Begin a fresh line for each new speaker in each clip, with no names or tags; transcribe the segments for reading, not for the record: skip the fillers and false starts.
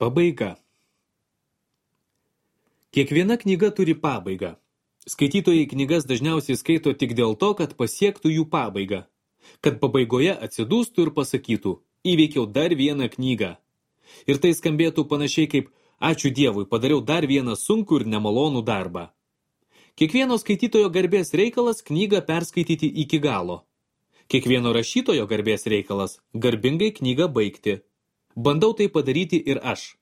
Pabaiga. Kiekviena knyga turi pabaigą. Skaitytojai knygas dažniausiai skaito tik dėl to, kad pasiektų jų pabaigą. Kad pabaigoje atsidūstų ir pasakytų, įveikiau dar vieną knygą. Ir tai skambėtų panašiai kaip, ačiū Dievui, padariau dar vieną sunkų ir nemalonų darbą. Kiekvieno skaitytojo garbės reikalas knygą perskaityti iki galo. Kiekvieno rašytojo garbės reikalas garbingai knygą baigti. Bandau tai padaryti ir aš.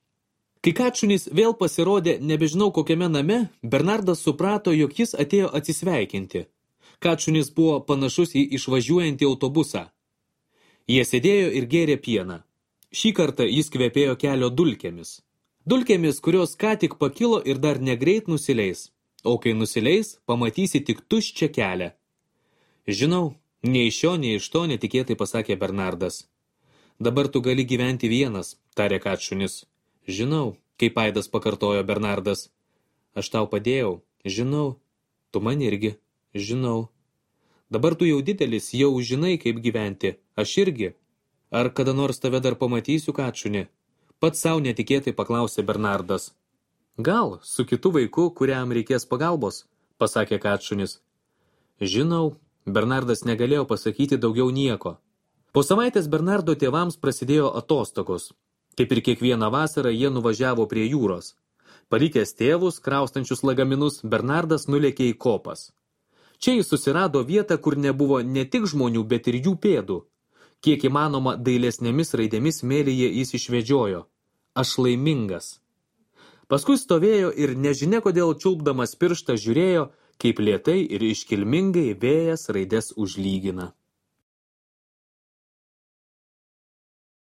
Kai Kačunis vėl pasirodė nebežinau kokiame name, Bernardas suprato, jog jis atėjo atsisveikinti. Kačunis buvo panašus į išvažiuojantį autobusą. Jie sėdėjo ir gėrė pieną. Šį kartą jis kvepėjo kelio dulkėmis. Dulkėmis, kurios ką tik pakilo ir dar negreit nusileis. O kai nusileis, pamatysi tik tuščią kelią. Žinau, nei iš šio, nei iš to netikėtai pasakė Bernardas. Dabar tu gali gyventi vienas, tarė Kačunis. Žinau, kaip aidas pakartojo Bernardas. Aš tau padėjau, žinau. Tu man irgi, žinau. Dabar tu jau didelis, jau žinai, kaip gyventi. Aš irgi. Ar kada nors tave dar pamatysiu, Kačuni? Pats savo netikėtai paklausė Bernardas. Gal, su kitu vaiku, kuriam reikės pagalbos, pasakė Kačunis. Žinau, Bernardas negalėjo pasakyti daugiau nieko. Po savaitės Bernardo tėvams prasidėjo atostogos. Kaip ir kiekvieną vasarą jie nuvažiavo prie jūros. Palikęs tėvus, kraustančius lagaminus, Bernardas nulėkė į kopas. Čia jis susirado vietą, kur nebuvo ne tik žmonių, bet ir jų pėdų. Kiek įmanoma dailesnėmis raidėmis smėlyje jis išvedžiojo. Aš laimingas. Paskui stovėjo ir nežinia kodėl čiulpdamas pirštą žiūrėjo, kaip lėtai ir iškilmingai vėjas raides užlygina.